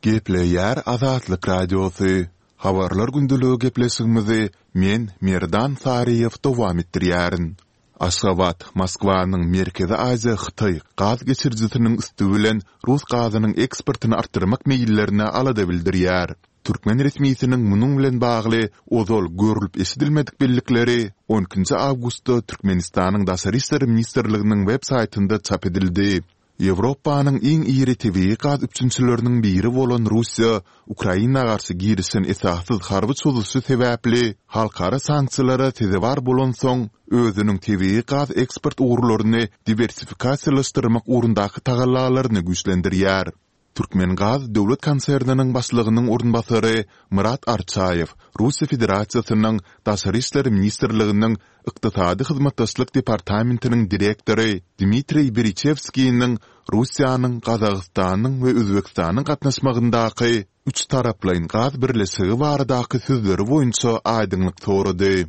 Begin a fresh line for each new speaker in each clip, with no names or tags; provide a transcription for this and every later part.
Gepleýär Azatlyk Radiosy, Habarlar gündeligi gepleşigimizi men, Merdan Saryýew dowam etdirýärin. Aşgabat, Moskwanyň Merkezi Aziýa-Hytaý gaz geçirijisiniň üsti bilen rus gazynyň eksportyny artdyrmak meýillerine alada bildirýär. Türkmen resmisiniň munuň bilen bagly ozal görlüp-eşidilmedik bellikleri on ikinji awgustda Türkmenistanyň Daşary işler ministrliginiň web saýtynda çap edildi. Ýewropanyň iň iri tebigy gaz üpjünçileriniň biri bolan Russiýa Ukraina garşy girişen esassyz harby çozuşy sebäpli halkara sanksiýalara sezewar bolansoň, özüniň tebigy gaz eksport ugurlaryny diwersifikasiýalaşdyrmak ugrundaky tagallalaryny güýçlendirýär. Türkmengaz döwlet konserniniň başlygynyň orunbasary Myrat Arçaýew Russiýa Federasiýasynyň Daşary işler ministrliginiň Ykdysady hyzmatdaşlyk departamentiniň direktory Dmitriý Beriçewskiniň Russiýanyň, Gazagystanyň we Özbegistanyň gatnaşmagyndaky üçtaraplaýyn gaz birleşigi baradaky sözleri boýunça aýdyňlyk sorady.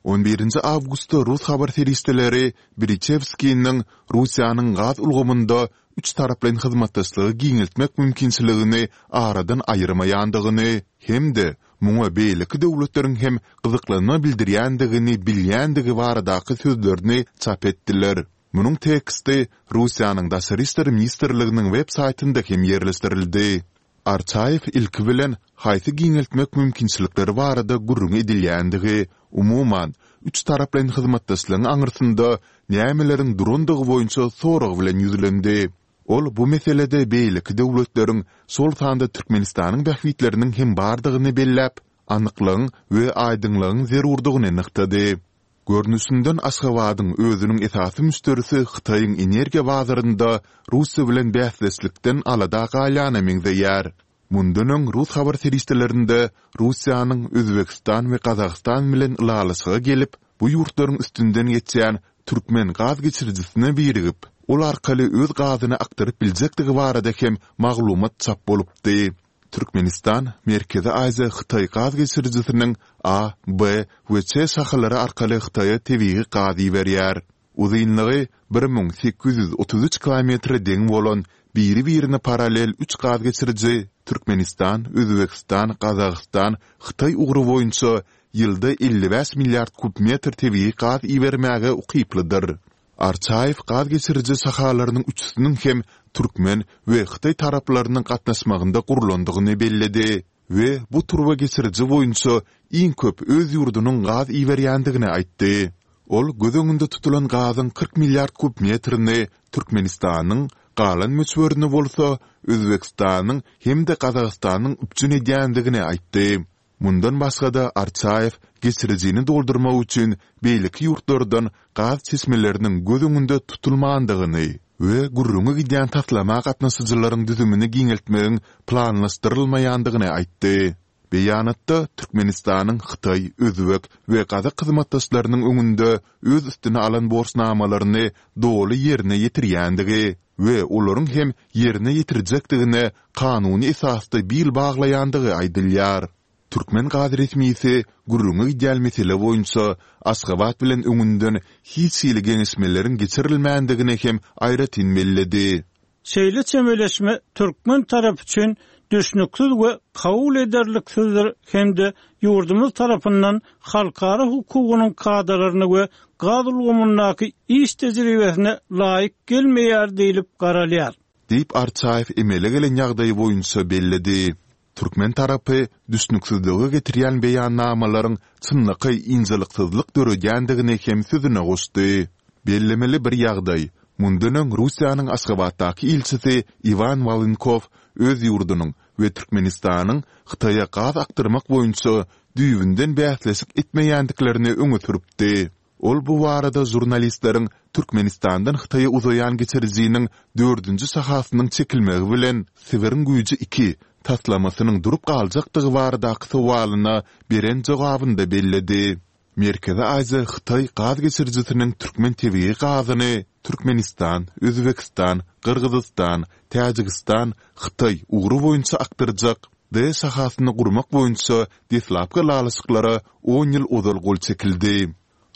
On birinji awgustda rus habar serişdeleri Beriçewskiniň Russiýanyň gaz ulgamynda üçtaraplaýyn hyzmatdaşlygy giňeltmek mümkinçiligini aradan aýyrmaýandygyny hem-de muňa beýleki döwletleriň hem gyzyklanma bildirýändigini bilýändigi baradaky sözlerini çap etdiler. Munuň teksti Russiýanyň Daşary işler ministrliginiň web saýtynda hem ýerleşdirildi. Arçaýew ilki bilen haýsy giňeltmek mümkinçilikleri barada gürrüň edilýändigi, umuman, üçtaraplaýyn hyzmatdaşlygyň aňyrsynda nämeleriň durandygy boýunça sorag bilen ýüzlendi. Ol bu meselede beýleki döwletleriň, şol sanda Türkmenistanyň bähbitleriniň hem bardygyny belläp, anyklygyň we aýdyňlygyň zerurdygyny nygtady. Görnüşinden Aşgabadyň özüniň esasy müşderisi Hytaýyň energiýa bazarynda Russiýa bilen bäsdeşlikden alada galýana meňzeýär. Mundan öň rus habar serişdelerinde Russiýanyň Özbegistan we Gazagystan bilen ylalaşyga gelip, bu ýurtlaryň üstünden geçýän türkmen gaz geçirijisine birigip, ol arkaly öz gazyny akdyryp biljekdigi barada hem maglumat çap bolupdy. Türkmenistan Merkezi Aziýa-Hytaý gaz geçirijisiniň A, B we C şahalary arkaly Hytaýa tebigy gaz iberýär. Uzynlygy 1833 kilometre deň bolan biri-birine parallel üç gaz geçiriji Türkmenistan, Özbegistan, Gazagystan, Hytaý ugry boýunça ýylda 55 milliard kub metr tebigy gaz ibermäge ukyplydyr. Arçaýew gaz geçiriji şahalarynyň üçüsiniň hem türkmen we hytaý taraplarynyň gatnaşmagynda gurlandygyny belledi we bu turba geçiriji boýunça iň köp öz ýurdunyň gaz iberýändigini aýtdy. Ol göz öňünde tutulan gazyň 40 milliard kub metrini Türkmenistanyň, galan möçberini bolsa Özbegistanyň hem-de Gazagystanyň üpjün edýändigini aýtdy. Mundan başga-da, Arçaýew geçirijini doldurmak üçin beýleki ýurtlardan gaz çeşmeleriniň göz öňünde tutulmandygyny we gürrüňi gidýän taslama gatnaşyjylaryň düzümini giňeltmegiň planlaşdyrylmaýandygyny aýtdy. Beýanatda Türkmenistanyň hytaý, özbek we gazak hyzmatdaşlarynyň öňünde öz üstüne alan borçnamalaryny doly ýerine ýetirýändigi we olaryň hem ýerine ýetirjekdigine kanuny esasda bil baglaýandygy aýdylýar. Türkmen gaz resmisi gürrüňi gidýän mesele boýunça Aşgabat bilen öňünden hiç hili geňeşmeleriň geçirilmändigini hem aýratyn belledi.
Şeýle çemeleşme türkmen tarapy üçin düşnüksiz we kabul ederliksizdir hem-de ýurdumyz tarapyndan halkara hukugynyň kadalaryna we gaz ulgamyndaky iş tejribesine laýyk gelmeýär diýlip garalýar.
Diýip, Arçaýew emele gelen ýagdaý boýunça belledi. Türkmen tarapy düşnüksizlige getirýän beýannamalaryň çynlakaý ynjalyksyzlyk döredýändigini hem sözüne goşdy. Bellemeli bir ýagdaý, mundan öň Russiýanyň Aşgabatdaky ilçisi Iwan Wolynkow öz ýurdunyň we Türkmenistanyň Hytaýa gaz akdyrmak boýunça düýbünden bäsleşik etmeýändiklerini öňe sürüpdi. Ol bu barada žurnalistleriň Türkmenistandan Hytaýa uzaýan geçirijiniň dördünji şahasynyň çekilmegi bilen Sibiriň güýji iki taslamasynyň durup galjakdygy baradaky sowalyna beren jogabynda belledi. Merkezi Aziýa-Hytaý gaz geçirijisiniň türkmen tebigy gazyny Türkmenistan, Özbegistan, Gyrgyzystan, Täjigistan, Hytaý ugry boýunça akdyrjak D şahasyny gurmak boýunça deslapky ylalaşyklara on ýyl ozal gol çekildi.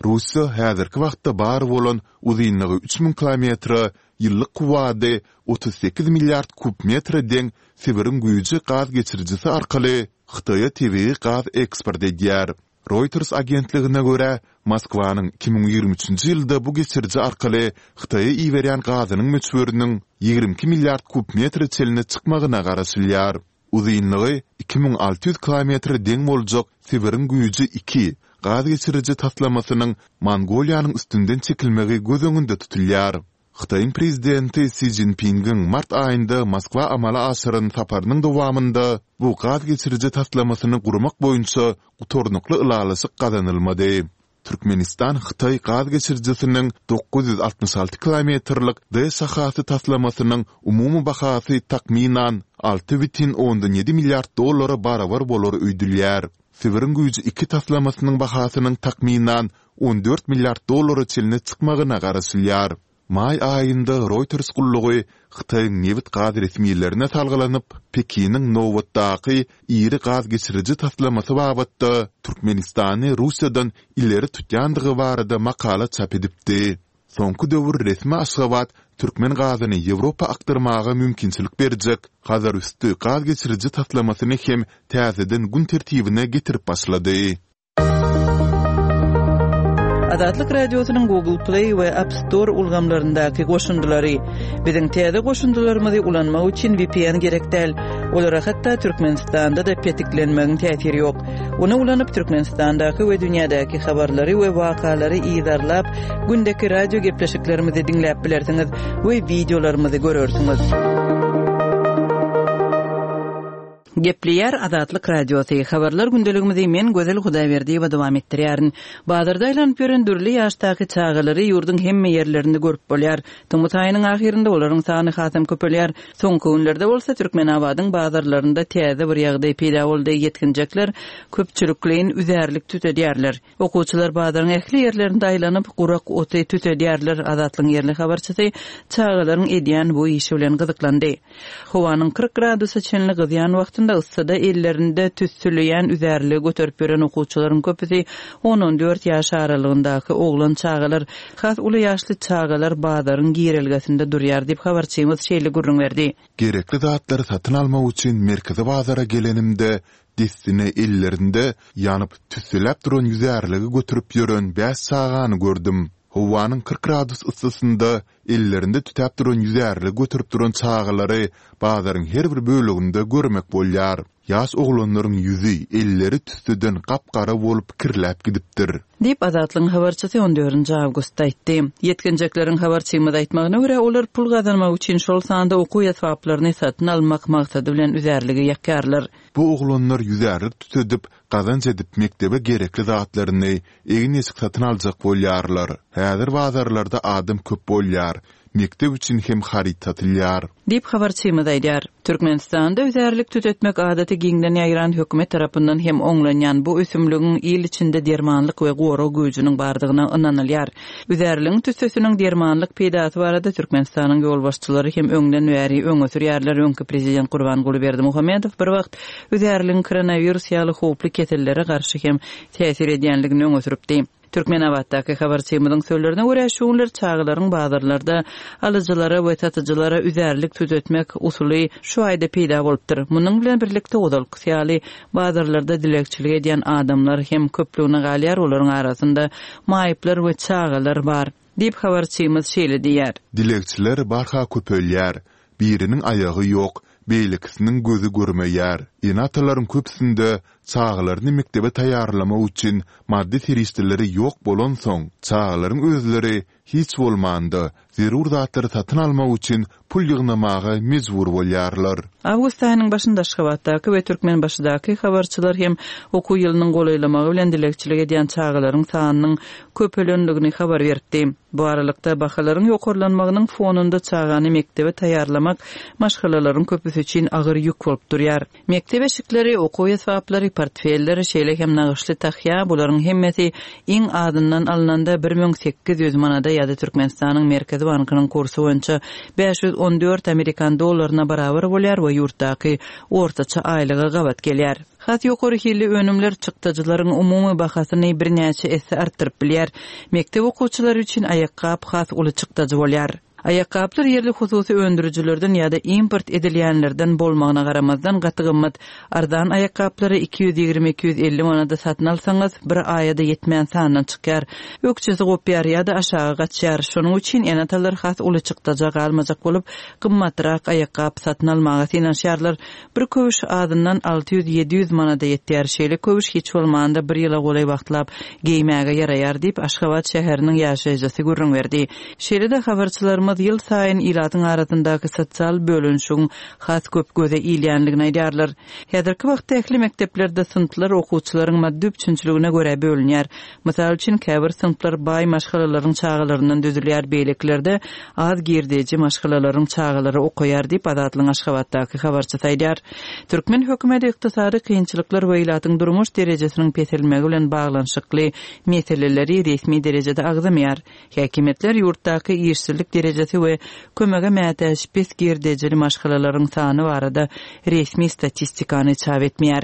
Russiýa häzirki wagtda bar bolan uzynlygy 3000 kilometre. ýyllyk kuwwady 38 milliard kub metre deň Sibiriň güýji gaz geçirijisi arkaly Hytaýa tebigy gaz eksport edýär. Reuters agentligine görä, Moskwanyň 2023-nji ýylda bu geçiriji arkaly Hytaýa iberýän gazynyň möçberiniň 22 milliard kub metre çenli çykmagyna garaşylýar. Uzynlygy 2600 kilometre deň boljak Sibiriň güýji iki gaz geçiriji taslamasynyň Mongoliýanyň üstünden çekilmegi göz öňünde tutulýar. Hytaýyň Prezidenti Si Szinpingiň mart aýynda Moskwa amala aşyran saparynyň dowamynda bu gaz geçiriji taslamasyny gurmak boýunça gutarnykly ylalaşyk gazanylmady. Türkmenistan-Hytaý gaz geçirijisiniň 966 kilometrlik D şahasy taslamasynyň umumy bahasy takmynan 6,7 milliard dollara barabar bolar öýdülýär. Sibiriň güýji iki taslamasynyň bahasynyň takmynan 14 milliard dollara çenli çykmagyna garaşylýar. Maý aýynda Reuters gullugy Hytaýyň nebit-gaz resmilerine salgylanyp, Pekiniň nobatdaky iri gaz geçiriji taslamasy babatda Türkmenistany Russiýadan ileri tutýandygy barada makala çap edipdi. Soňky döwür resmi Aşgabat türkmen gazyny Ýewropa akdyrmaga mümkinçilik berjek Hazarüsti gaz geçiriji taslamasyny hem täzeden gün tertibine getirip başlady.
Azatlyk Radiosynyň Google Play we App Store ulgamlaryndaky goşundylary. Biziň täze goşundylarymyzy ulanmak üçin VPN gerek däl. Olara hatda Türkmenistanda-da petiklenmegiň täsiri ýok. Ony ulanyp Türkmenistandaky we dünýädäki habarlary we wakalary yzarlap, gündeki radio gepleşiklerimizi diňläp bilersiňiz we wideolarymyzy görersiňiz. Gepleýär Azatlyk Radiosy, Habarlar gündeligimizi men Gözel Hudaýberdiýewa dowam etdirýärin. Bazarda aýlanyp ýören dürli ýaşdaky çagalary ýurduň hemme ýerlerinde görüp bolýar. Tomus aýynyň ahyrynda olaryň sany hasam köpelýär. Soňky günlerde bolsa Türkmenabadyň bazarlarynda täze bir ýagdaý peýda boldy, ýetginjekler köpçülikleýin üzärlik tütedýärler. Okuwçylar bazaryň ähli ýerlerinde aýlanyp, gurak oty tütedýärler. Azatlygyň ýerli habarçysy çagalaryň edýän bu işi bilen gyzyklandy. Howanyň 40 gradusa çenli gyzýan wagtynda yssyda ellerinde tüssüleýän üzärligi göterip ýören okuwçylaryň köpüsi on-on dört ýaş aralygyndaky oglan çagalar, has uly ýaşly çagalar bazaryň girelgesinde durýar diýip, habarçymyz şeýle gürrüň berdi.
Gerekli zatlary satyn almak üçin merkezi bazara gelenimde, dessine ellerinde ýanyp, tüsseläp duran ýüzärligi göterip ýören bäş çagany gördüm. Howanyň 40 gradus yssysynda ellerinde tütäp duran ýüzärligi göterip duran çagalary bazaryň her bir böleginde görmek bolýar. Ýaş oglanlaryň ýüzi, elleri tüsseden gap-gara bolup kirläp gidipdir.
Diýip, Azatlygyň habarçysy on dördünji awgustda aýtdy. Ýetginjekleriň habarçymyza aýtmagyna görä, olar pul gazanmak üçin, şol sanda okuw esbaplaryny satyn almak maksady bilen üzärligi ýakýarlar.
Bu oglanlar ýüzärlik tütedip, gazanç edip mekdebe gerekli zatlaryny, egin-eşik satyn aljak bolýarlar. Häzir bazarlarda adam köp bolýar. Mekdep üçin hem haryt satylýar.
Diýip, habarçymyz aýdýar. Türkmenistanda üzärlik tütetmek adaty giňden ýaýran hökümet tarapyndan hem oňlanýan bu ösümligiň il içinde dermanlyk we gorag güýjüniň bardygyna ynanylýar. Üzärligiň tüssesiniň dermanlyk peýdasy barada Türkmenistanyň ýolbaşçylary hem öňden bäri öňe sürýärler. Öňki prezident Gurbanguly Berdimuhamedow bir wagt üzärligiň koronawirus ýaly howply kesellere garşy hem täsir edýänligini öňe sürüpdi. Türkmenabatdaky habarçymyzyň sözlerine görä, şu günler çagalaryň bazarlarda alyjylara we satyjylara üzärlik tütetmek usuly şu aýda peýda bolupdyr. Munuň bilen birlikde, ozalkysy ýaly, bazarlarda dilegçilik edýän adamlar hem köplügine galýar, olaryň arasynda maýyplar we çagalar bar. Diýip, habarçymyz şeýle diýýär.
Dilegçiler barha köpelýär. Biriniň aýagy ýok, beýlekisiniň gözi görmeýär. Ene-atalaryň köpüsinde çagalaryny mekdebe taýýarlamak üçin maddy serişdeleri ýok bolansoň, çagalaryň özleri hiç bolmanda, zerur zatlary satyn almak üçin pul ýygnamaga mejbur bolýarlar.
Awgust aýynyň başynda Aşgabatdaky we Türkmenbaşydaky habarçylar hem okuw ýylynyň golaýlamagy bilen dilegçilik edýän çagalaryň sanynyň köpelendigini habar beripdi. Bu aralykda, bahalaryň ýokarlanmagynyň fonunda çagany mekdebe taýýarlamak maşgalalaryň köpüsi üçin agyr ýük bolup durýar. Mekdep eşikleri, okuw esbaplary, portfeller, şeýle hem nagyşly tahýa, bularyň hemmesi iň azyndan alnanda 1800 manada ýa-da Türkmenistanyň Merkezi bankynyň kursy boýunça 514 amerikan dollaryna barabar bolýar we ýurtdaky ortaça aýlyga gabat gelýär. Has ýokary hilli önümler çykdajylaryň umumy bahasyny birnäçe esse artdyryp bilýär. Mekdep okuwçylary üçin aýakgap has uly çykdajy bolýar. Aýakgaplar ýerli hususy öndürijilerden ýa-da import edilýänlerden bolmagyna garamazdan gaty gymmat. Arzan aýakgaplary 220-250 manada satyn alsaňyz, bir aýa-da ýetmän sandan çykýar. Ökjesi gopýar ýa-da aşaga gaçýar. Şonuň üçin ene-atalar has uly çykdaja galmajak bolup, gymmatrak aýakgap satyn almaga synanyşýarlar. Bir köwüş azyndan 600-700 manada ýetýär. Şeýle köwüş hiç bolmanda bir ýyla golaý wagtlap geýmäge ýaraýar diýip, Aşgabat şäheriniň ýaşaýjysy gürrüň berdi. Şeýle-de habarçylarymyz ýylsaýyn ilatyň arasyndaky sosial bölünişigiň has köp göze ilýändigini aýdýarlar. Häzirki wagtda ähli mekdeplerde synplar okuwçylaryň maddy üpjünçiligine görä bölünýär. Mysal üçin, käbir synplar baý maşgalalaryň çagalaryndan düzülýär, beýlekilerde az girdeji maşgalalaryň çagalary okaýar diýip, Azatlygyň Aşgabatdaky habarçysy aýdýar. Türkmen hökümeti ykdysady kynçylyklar we ilatyň durmuş derejesiniň peselmegi bilen baglanyşykly meseleleri resmi derejede agzamaýar. Häkimiýetler ýurtdaky işsizlik derejesi we kömege mätäç pes girdejili maşgalalaryň sany barada resmi statistikany çap etmeýär.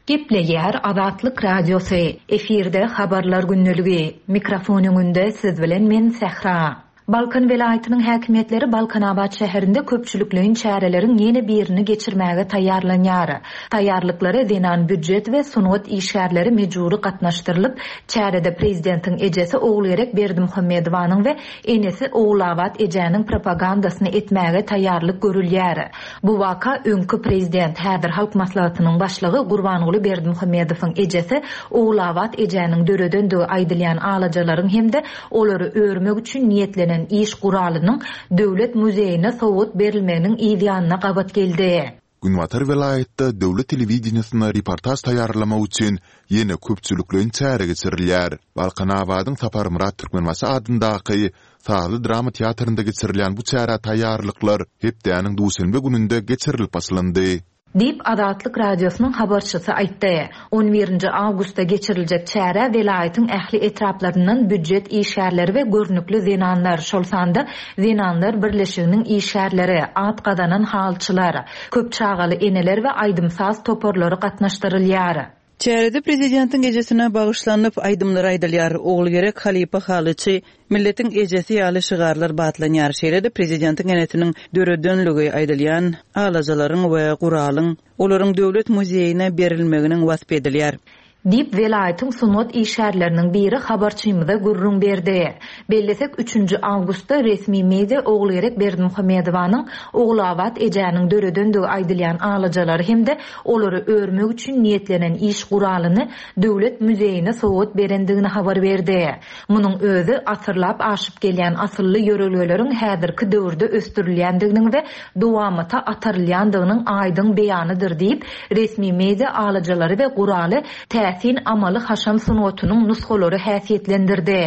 Gepleýär Azatlyk Radiosy, efirde Habarlar gündeligi, mikrofon öňünde siz bilen men Sähra. Balkan welaýatynyň häkimiýetleri Balkanabat şäherinde köpçülikleýin çäreleriň ýene birini geçirmäge taýýarlanýar. Taýýarlyklara zenan býujet we sungat işgärleri mejbury gatnaşdyrylyp, çärede prezidentiň ejesi Ogulgerek Berdimuhamedowanyň we enesi Ogulabat ejäniň propagandasyny etmäge taýýarlyk görülýär. Bu waka öňki prezident, häzir Halk Maslahatynyň başlygy Gurbanguly Berdimuhamedowyň ejesi Ogulabat ejäniň döredendigi aýdylýan alajalaryň hem-de olary örmek üçin niýetlenen iş guralynyň Döwlet muzeýine sowgat berilmeginiň yz ýanyna gabat geldi.
Günbatar welaýatda döwlet telewideniýesine reportaž taýýarlamak üçin ýene köpçülikleýin çäre geçirilýär. Balkanabadyň Saparmyrat Türkmenbaşy adyndaky sazly-drama teatrynda geçirilýän bu çärä taýýarlyklar hepdäniň duşenbe gününde geçirilip başlandy.
Diýip, Azatlyk Radiosynyň habarçysy aýtdy. On birinji awgustda geçiriljek çärä welaýatyň ähli etraplaryndan býujet işgärleri we görnükli zenanlar, şol sanda Zenanlar birleşiginiň işgärleri, at gazanan halyçylar, köp çagaly eneler we aýdym-saz toparlary gatnaşdyrylýar.
Çärede prezidentiň ejesine bagyşlanyp aýdymlar aýdylýar, Ogulgerek halypa halyçy, milletiň ejesi ýaly şygarlar batlanýar. Şeýle-de prezidentiň enesiniň döredenligi aýdylýan alajalaryň we guralyň olaryň Döwlet muzeýine berilmeginiň waspy edilýär.
Diýip, welaýatyň sungat işgärleriniň biri habarçymyza gürrüň berdi. Bellesek, üçünji awgustda resmi media Ogulgerek Berdimuhamedowanyň Ogulabat ejäniň döredendigi aýdylýan alajalary hem-de olary örmek üçin niýetlenen iş guralyny Döwlet muzeýine sowgat berendigini habar berdi. Munuň özi asyrlap aşyp gelýän asylly ýörelgeleriň häzirki döwürde ösdürilýändiginiň we dowamata atarylýandygynyň aýdyň beýanydyr diýip, resmi media alajalary we guraly täsin amaly-haşam sungatynyň nusgalary häsiýetlendirdi.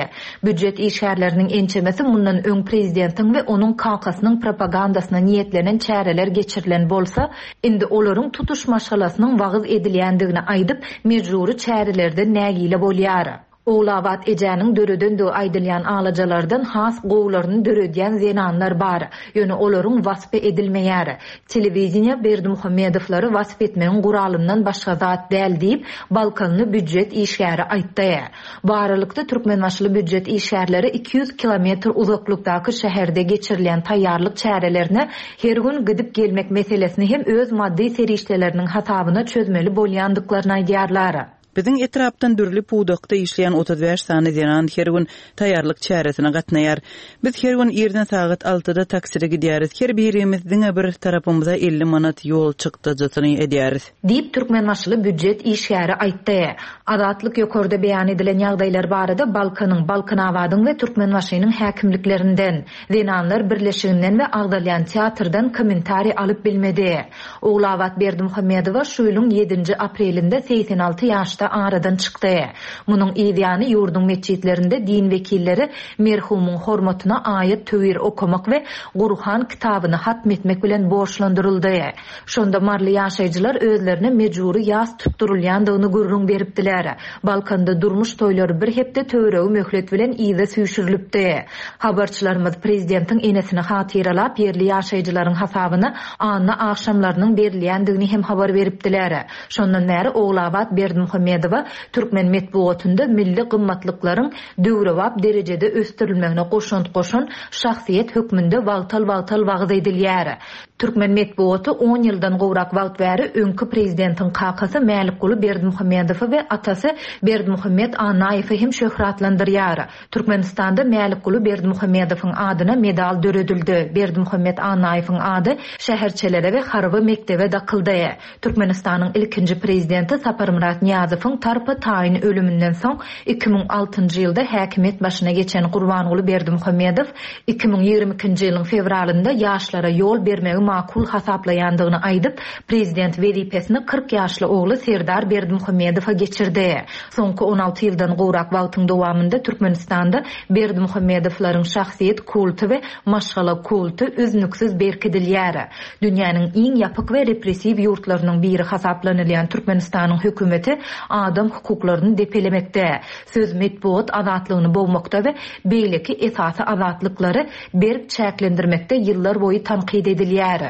Býujet işgärleriniň ençemesi mundan öň prezidentiň we onuň kakasynyň propagandasyna niýetlenen çäreler geçirilen bolsa, Indi olaryň tutuş maşgalasynyň wagyz edilýändigini aýdyp, mejbury çärelerden nägile bolýar. Ogulabat ejäniň döredendigi aýdylýan alajalardan has gowularyny döredýän zenanlar bar. Ýöne olaryň waspy edilmeýär. Telewideniýe Berdimuhamedowlary wasp etmegiň guralyndan başga zat däl diýip, balkanly býujet işgäri aýtdy. Bu aralykda, türkmenbaşyly býujet işgärleri 200 kilometr uzaklykdaky şäherde geçirilýän taýýarlyk çärelerine her gün gidip-gelmek meselesini hem öz maddy serişdeleriniň hasabyna çözmeli bolýandyklaryny aýdýarlar.
Biziň etrapdan dürli pudakda işleýän 35 sany zenan her gün taýýarlyk çäresine gatnaýar. Biz her gün irden sagat altyda takside gidýäris. Her birimiz diňe bir tarapymyza 50 manat ýol çykdajysyny edýäris.
Diýip, türkmenbaşyly býujet işgäri aýtdy. Azatlyk ýokarda beýan edilen ýagdaýlar barada Balkanyň, Balkanabadyň we Türkmenbaşynyň häkimliklerinden, Zenanlar birleşiginden we agzalýan teatrdan kommentariý alyp bilmedi. Ogulabat Berdimuhamedowa şu ýylyň ýedinji aprelinde 86 ýaşda aradan çykdy. Munuň yz ýany ýurduň metjitlerinde din wekilleri merhumyň hormatyna aýat-töwir okamak we Gurhan kitabyny hatm etmek bilen borçlandyryldy. Şonda maryly ýaşaýjylar özlerine mejbury ýas tutdurylýandygyny gürrüň beripdiler. Balkanda durmuş toýlary bir hepde töweregi möhlet bilen yza süýşürilipdi. Habarçylarymyz prezidentiň enesini hatyralap, ýerli ýaşaýjylaryň hasabyna anna agşamlarynyň berilýändigini hem habar beripdiler. Şondan bäri Ogulabat Berdimuhamedowa. Berdimuhamedowa türkmen metbugatynda milli gymmatlyklaryň döwrebap derejede ösdürilmegine goşant goşan şahsyýet hökmünde wagtal-wagtal wagyz edilýär. Türkmen metbugaty on ýyldan gowrak wagt bäri öňki prezidentiň kakasy Mälikguly Berdimuhamedowy we atasy Berdimuhamet Annaýewi hem şöhratlandyrýar. Türkmenistanda Mälikguly Berdimuhamedowyň adyna medal döredildi, Berdimuhamet Annaýewiň ady şäherçelere we harby mekdebe dakyldy. Türkmenistanyň ilkinji prezidenti Saparmyrat Nyýazowyň tarpa-taýyn ölüminden soň 2006-njy ýylda häkimiýet başyna geçen Gurbanguly Berdimuhamedow 2022-nji ýylyň fewralynda ýaşlara ýol bermegi makul hasaplaýandygyny aýdyp, prezident wezipesini 40 ýaşly ogly Serdar Berdimuhamedowa geçirdi. Soňky 16 ýyldan gowrak wagtyň dowamynda Türkmenistanda Berdimuhamedowlaryň şahsyýet kulty we maşgala kulty üznüksiz berkidilýär. Dünýäniň iň ýapyk we repressiw ýurtlarynyň biri hasaplanylýan Türkmenistanyň hökümeti adam hukuklaryny depelemekde, söz, metbugat azatlygyny bogmakda we beýleki esasy azatlyklary berk çäklendirmekde ýyllar boýy tankyt edilýär.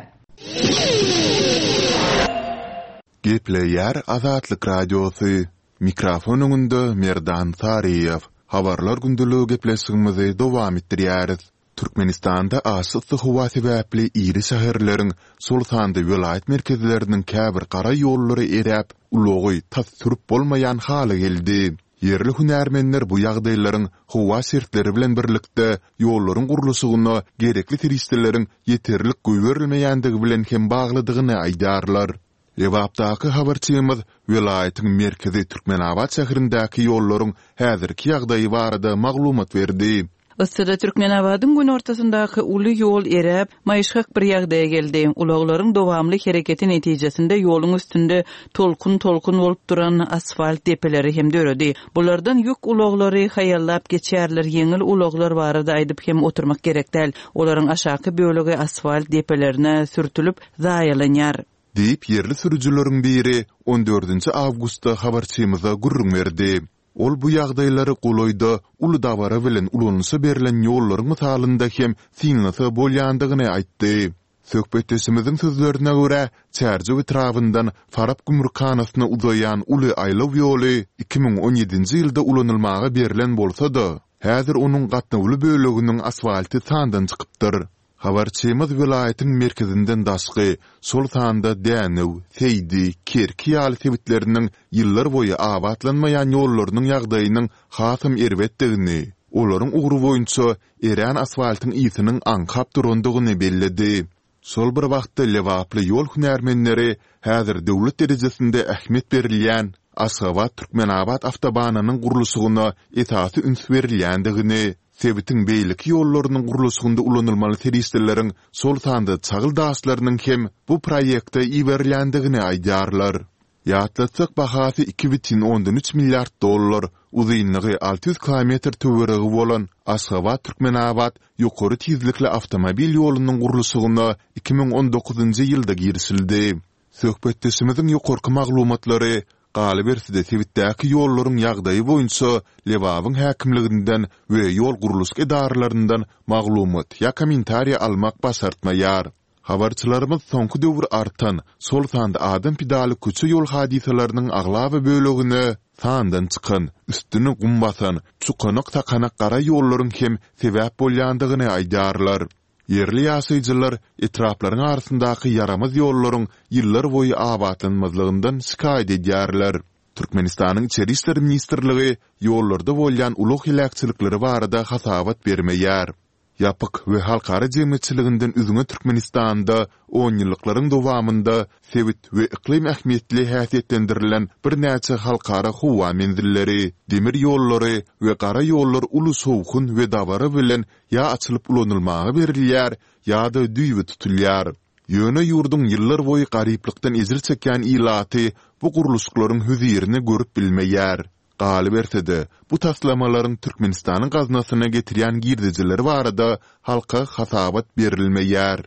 Gepleýär Azatlyk Radiosy, Mikrofon öňünde Merdan Saryýew. Habarlar gündeligi gepleşigimizi dowam etdirýäris. Türkmenistanda aşa yssy howa sebäpli iri şäherleriň, şol sanda welaýat merkezleriniň käbir gara ýollary eräp, ulagy tas sürüp bolmaýan hala geldi. Ýerli hünärmenler bu ýagdaýlaryň howa şertleri bilen birlikde ýollaryň gurluşygyna gerekli serişdeleriň ýeterlik goýberilmeýändigi bilen hem baglydygyny aýdýarlar. Lebapdaky habarçymyz welaýatyň merkezi Türkmenabat şäherindäki ýollaryň häzirki ýagdaýy barada maglumat berdi.
Yssyda Türkmenabadyň günortasyndaky uly ýol eräp, maýyşgak bir ýagdaýa geldi. Ulaglaryň dowamly hereketi netijesinde ýoluň üstünde tolkun-tolkun bolup duran asfalt depeleri hem döredi. Bulardan ýük ulaglary haýallap geçýärler, ýeňil ulaglar barada aýdyp hem oturmak gerek däl. Olaryň aşaky bölegi asfalt depelerine sürtülip, zaýalanýar.
Diýip, ýerli sürüjileriň biri on dördünji awgustda habarçymyza gürrüň berdi. Ol bu ýagdaýlary golaýda uly dabara bilen ulanyşa berlen ýollaryň mysalynda hem synlasa bolýandygyny aýtdy. Söhbetdeşimiziň sözlerine görä, Çärjew etrabyndan Farap gümrükhanasyna uzaýan uly aýlaw ýoly 2017-nji ýylda ulanylmaga berlen bolsa-da, häzir onuň gatnawly böleginiň asfalty sandan çykypdyr. Habarçymyz welaýatyň merkezinden daşky, şol sanda Dänew, Seýdi, Kerki ýaly sebitleriniň ýyllarboýy abatlanmaýan ýollarynyň ýagdaýynyň hasam erbetdigini, olaryň ugry boýunça erän asfaltyň ysynyň aňkap durandygyny belledi. Şol bir wagtda lebaply ýol hünärmenleri häzir döwlet derejesinde ähmiýet berilýän Aşgabat-Türkmenabat awtobanynyň gurluşygyna esasy üns berilýändigini, sebitiň beýleki ýollarynyň gurluşygynda ulanylmaly serişdeleriň, şol sanda çagyl daşlarynyň hem bu proýekte iberilýändigini aýdýarlar. Ýatlatsak, bahasy 2,3 milliard dollar, uzynlygy 600 kilometr töweregi bolan Aşgabat-Türkmenabat ýokary tizlikli awtomobil ýolunyň gurluşygyna 2019-njy ýylda girişildi. Söhbetdeşimiziň ýokarky maglumatlary, galyberse-de sebitdäki ýollaryň ýagdaýy boýunça Lebabyň häkimliginden we ýol gurluşyk edaralaryndan maglumat ýa kommentariý almak başartmaýar. Habarçylarymyz soňky döwür artan, şol sanda adam pidaly köçe-ýol hadysalarynyň aglaba bölegine sandan çykan, üstüni gum basan, çukanak-sakanak gara ýollaryň hem sebäp bolýandygyny aýdýarlar. Ýerli ýaşaýjylar etraplaryň arasyndaky ýaramaz ýollaryň ýyllarboýy abatlanmazlygyndan şikaýat edýärler. Türkmenistanyň Içeri işler ministrligi ýollarda bolýan ulag heläkçilikleri barada hasabat bermeýär. Ýapyk we halkara jemgyýetçiliginden üzňe Türkmenistanda onýyllyklaryň dowamynda sebit we yklym ähmiýetli häsiýetlendirilen birnäçe halkara howa menzilleri, demir ýollary we gara ýollar uly şowhun we dabara bilen ýa açylyp ulanylmaga berilýär, ýa-da düýbi tutulýar. Ýöne ýurduň ýyllarboýy garyplykdan ejir çekýän ilaty bu gurluşyklaryň hözirini görüp bilmeýär. Galyberse-de, bu taslamalaryň Türkmenistanyň gaznasyna getirýän girdejileri barada halka hasabat berilmeýär.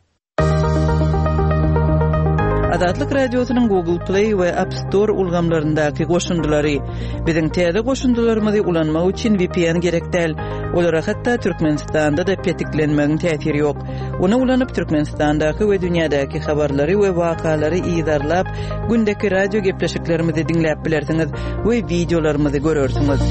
Azatlyk Radiosynyň Google Play we App Store ulgamlaryndaky goşundylary. Biziň täze goşundylarymyzy ulanmak üçin VPN gerek däl. Olara hatda Türkmenistanda-da petiklenmegiň täsiri ýok. Ony ulanyp Türkmenistandaky we dünýädäki habarlary we wakalary yzarlap, gündeki radio gepleşiklerimizi diňläp bilersiňiz we wideolarymyzy görersiňiz.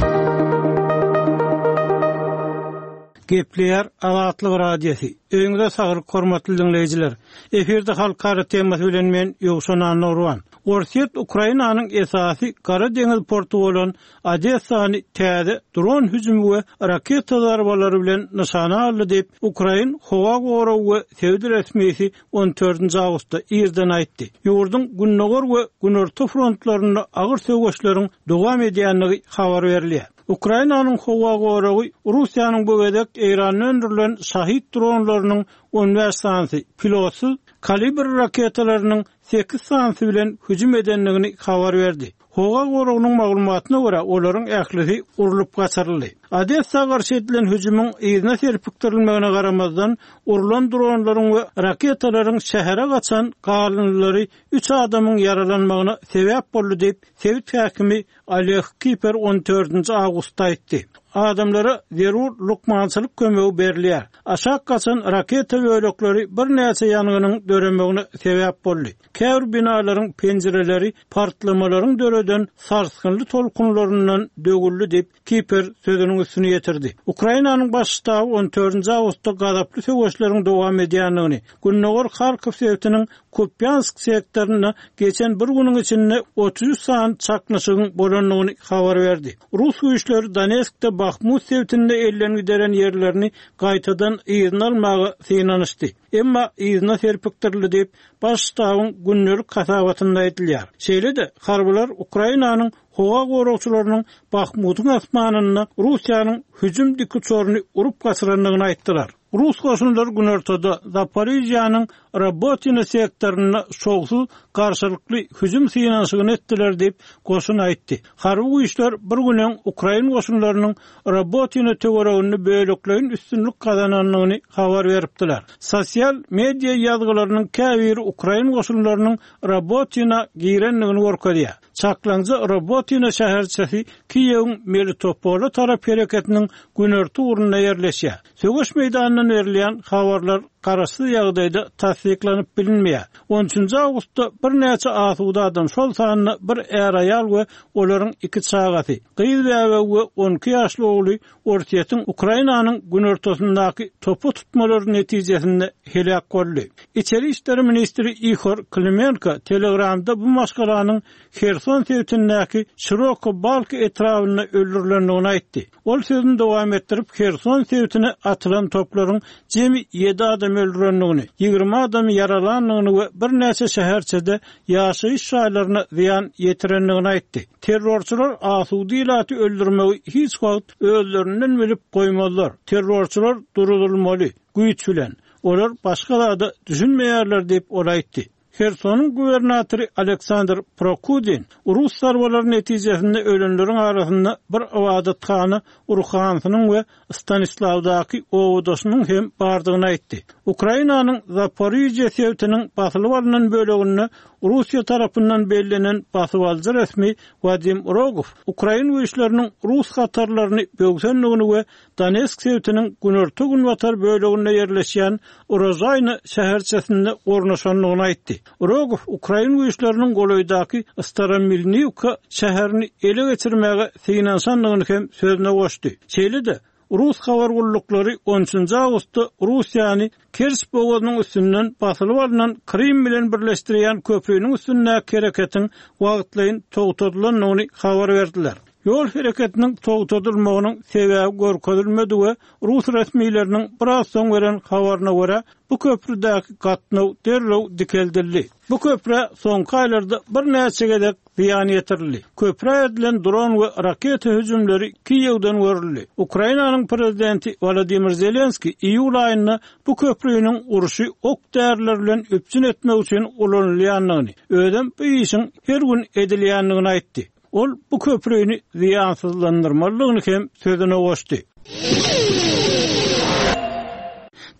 Gepleýär Azatlyk Radiosy. Öýüňize saglyk hormatly diňleýjiler. Efirde halkara temasy bilen men Ýowşan Annagurban. Orsýet Ukrainanyň esasy Gara deňiz porty bolan Odessany täze dron hüjümi we raketa zarbalary bilen nyşana aldy diýip, ukrain howa goragy we sebit resmisi on dördünji awgustda irden aýtdy. Ýurduň gündogar we günorta frontlarynda agyr söweşleriň dowam edýändigi habar berilýär. Ukrainanyň howa goragy Russiýanyň bu gezek Eýranda öndürilen Şahid dronlarynyň 15 sanysy, pilotsyz Kalibr raketalarynyň sekiz sanysy bilen hüjüm edendigini habar berdi. Howa goragynyň maglumatyna görä, olaryň ählisi urlup gaçyryldy. Odessa garşy edilen hüjümiň yzyna serpikdirilmegine garamazdan, urlan dronlaryň we raketalaryň şähere gaçan galyndylary üç adamyň ýaralanmagyna sebäp boldy diýip, sebit häkimi Oleg Kiper on dördünji awgustda aýtdy. Adamlara zerur lukmançylyk kömegi berilýär. Aşak gaçan raketa bölekleri birnäçe ýangynyň döremegine sebäp boldy. Käbir binalaryň penjireleri partlamalaryň döreden sarsgynly tolkunlaryndan döwüldi diýip, Kiper sözüniň üstüni ýetirdi. Ukrainanyň Baş ştaby on dördünji awgustda gazaply söweşleriň dowam edýändigini, gündogar Harkow sebitiniň Kupýansk sektorynda geçen bir günüň içinde 33 sany çaknyşygyň bolandygyny habar berdi. Rus güýçleri Donetskde Bahmut sebitinde elden gideren ýerlerini gaýtadan yzyna almaga synanyşdy. Emma yzyna serpikdirildi diýip, Baş ştabyň gündelik hasabatynda aýdylýar. Şeýle-de, harbylar Ukrainanyň howa goragçylarynyň Bahmutyň asmanynda Russiýanyň hüjüm dikuçaryny urup gaçyrandygyny aýtdylar. Rus goşunlary günortada, Zaporižýanyň Robotino sektorynda şowsuz garşylykly hüjüm synanyşygyny etdiler diýip, goşun aýtdy. Harby güýçler bir gün öň ukrain goşunlarynyň Robotino töwereginde bölekleýin üstünlik gazanandygyny habar beripdiler. Sosial media ýazgylarynyň käbiri ukrain goşunlarynyň Robotina girendigini görkezýär. Çaklaňja Robotino şäherçesi Kiýewiň Melitopola tarap hereketiniň günorta ugrunda ýerleşýär. Söweş meýdanyndan berilýän habarlar garaşsyz ýagdaýda tassyklanyp bilinmeýär. On üçünji awgustda birnäçe asuda adam, şol sanda bir är-aýal we olaryň iki çagasy, gyz bäbegi we 12 ýaşly ogly Orsýetiň Ukrainanyň günortasyndaky topa tutmalary netijesinde heläk boldy. Içeri işler ministri Ihor Klimenko Telegramda bu maşgalanyň Herson sebitindäki Şiroka Balka etrabynda öldürilendigini aýtdy. Ol sözüni dowam etdirip, Herson sebitine atylan toplaryň jemi ýedi adamy öldürendigini, 20 adamy ýaralandygyny we birnäçe şäherçede ýaşaýyş jaýlaryna zyýan ýetirendigini aýtdy. Terrorçylar asuda ilaty öldürmegi hiç wagt özlerinden bilip goýmazlar. Terrorçylar duruzylmaly, güýç bilen. Olar başga zada düşünmeýärler diýip, ol aýtdy. Hersonyň gubernatory Aleksandr Prokudin rus zarbalary netijesinde ölenleriň arasynda bir ybadathana ruhanysynyň we Stanislawdaky obadaşynyň hem bardygyny aýtdy. Ukrainanyň Zaporižýa sebitiniň basylyp alnan böleginde Russiýa tarapyndan bellenen basybalyjy resmi Wadim Rogow ukrain güýçleriniň rus hatarlaryny böwsendigini we Donetsk sebitiniň günorta-günbatar böleginde ýerleşýän Urožaýna şäherçesinde ornaşandygyny aýtdy. Rogow ukrain güýçleriniň golaýdaky Staromilniwka şäherini ele geçirmäge synanyşandygyny hem sözüne goşdy. Şeýle-de, rus habar gulluklary on üçünji awgustda Russiýany Kerç bogazynyň üstünden basylyp alnan Krym bilen birleşdirýän köprüniň üstündäki hereketiň wagtlaýyn togtadylandygyny habar berdiler. Ýol hereketiniň togtadylmagynyň sebäbi görkezilmedi we rus resmileriniň biraz soň beren habaryna görä, bu köprüdäki gatnaw derrew dikeldildi. Bu köprä soňky aýlarda birnäçe gezek zyýan ýetirildi. Köprä edilen dron we raketa hüjümleri Kiýewden görüldi. Ukrainanyň prezidenti Wolodymyr Zelenskiý iýul aýynda bu köprüniň urşy ok-däriler bilen üpjün etmek üçin ulanylýandygyny, özem bu işiň her gün edilýändigini aýtdy. Ol bu köprüni zyýansyzlandyrmalydygyny hem sözüne goşdy.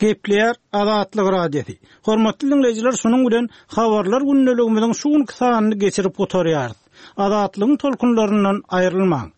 Gepleýär Azatlyk Radiosy. Hormatly diňleýjiler, şunuň bilen Habarlar gündeligimiziň şu günki sanyny geçirip gutarýarys. Azatlygyň tolkunlaryndan aýrylmaň!